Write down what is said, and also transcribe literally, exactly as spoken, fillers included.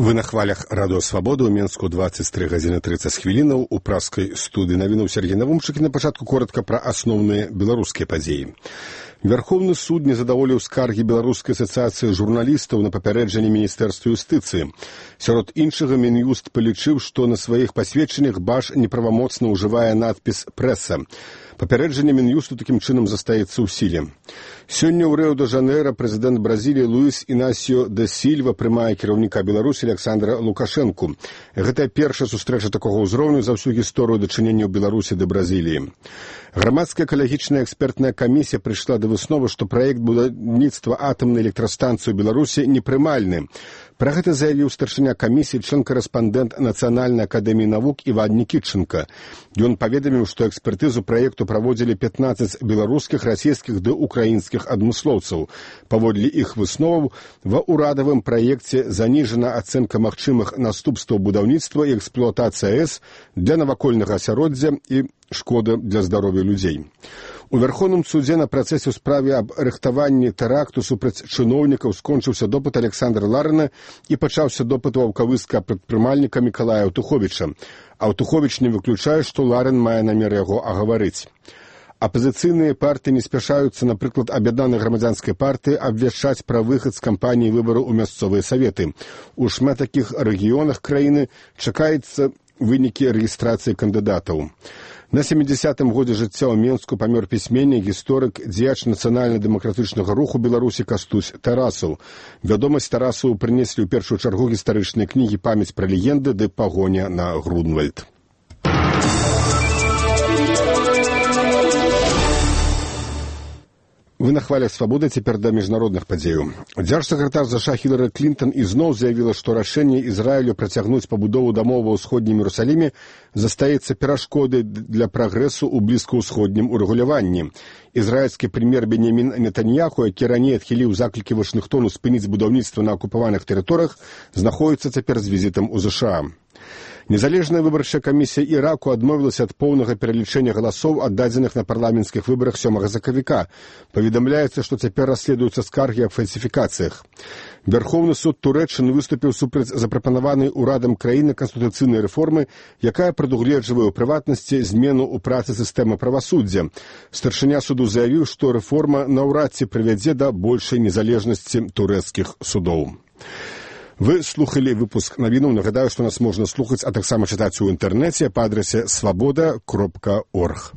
Вы на хвалях радыё Свабода, у Менску двадцать три гадзіны тридцать хвілінаў, у праскай студыі навінуў Сергей Навумчык. На пачатку коротка пра асноўныя беларускія падзеі. Верховны суд не задаволіў скаргі Беларускай асацыяцыі журналістаў на папярэджанне Міністэрства юстыцыі. Сярод іншага, Мін'юст палічыў, што на сваіх пасведчаннях Баш неправамоцна ўжывае надпіс «Прэса». Папярэджанне Мін'юсту такім чынам застаецца ў сіле. Сёння ў Рыо-де-Жанейра прэзідэнт Бразіліі Луіс Інасіо де Сільва прымае кіраўніка Беларусі Александра Лукашэнку. Гэта першая сустрэча такога ўзроўню за ўсю гісторыю дачынення Беларусі да Бразіліі. Грамадская экалагічная экспертная камісія прыйшла да высновы, што праект будаўніцтва атамнай электрастанцыі ў Беларусі непрымальны. Пра гэта заявіў старшыня камісіі, член-карэспандэнт Нацыянальнай акадэміі навук Іван Нікітчанка. Ён паведаміў, што экспертызу праекту праводзілі пятнаццаць беларускіх, расійскіх ды украінскіх адмыслоўцаў. Паводле іх высноваў, ва ўрадавым праекце заніжана ацэнка магчымых наступстваў будаўніцтва і эксплуатацыі АЭС для навакольнага асяроддзя і шкода для здароўя людзей. У Верховным судзе на працэсе ў справе аб рыхтаванні тэракту супраць чыноўнікаў скончыўся допыт Александра Ларына і пачаўся допыт у аўкавыска прадпрымальніка Мікалая Аўтуховіча. Аўтуховіч не выключае, што Ларын мае намер яго агаварыць. Апазіцыйныя партыі не спяшаюцца, напрыклад, аб'яднанай грамадзянскай партыі абвяшчаць пра выхад з кампаніі выбараў у мясцовыя саветы. У шмат такіх рэгіёнах краіны чакаецца вынікі рэгістрацыі кандыдатаў. На сямідзясятым годзе жыцця ў Менску памёр пісьменнік, гісторык, дзеяч нацыянальна-дэмакратычнага руху Беларусі Кастусь Тарасаў. Вядомасць Тарасаву прынеслі ў першую чаргу гістарычныя кнігі «Памяць пра легенды» ды «Пагоня на Грунвальд». Вы на хвалях Свабоды, цяпер да міжнародных падзеяў. Дзяржсакратар ЗША Хілары Клінтон ізноў заявіла, што рашэнне Ізраілю працягнуць пабудову дамоў ва ўсходнім Іерусаліме застаецца перашкодай для прагрэсу ў блізкаўсходнім урэгуляванні. Ізраільскі прэм'ер Беньямін Нетаньяху, які раней адхіліў заклікі Вашынгтону спыніць будаўніцтва на акупаваных тэрыторыях, знаходзіцца цяпер з візітам у ЗША. Незалежная выбарчая камісія Іраку адмовілася ад поўнага пералічэння галасоў, аддадзеных на парламенцкіх выбарах сёмага сакавіка. Паведамляецца, што цяпер расследуюцца скаргі аб фальсіфікацыях. Верховны суд Турэччыны выступіў супраць запрапанаванай урадам краіны канстытуцыйнай рэформы, якая прадугледжвае ў прыватнасці змену ў працы сістэмы правасуддзя. Старшыня суду заявіў, што рэформа наўрад ці прывядзе да большай незалежнасці турэцкіх судоў. Вы слухали выпуск навінаў. Нагадаю, што нас можна слухаць, а таксама чытаць у інтэрнэце па адрасе свабода кропка орг.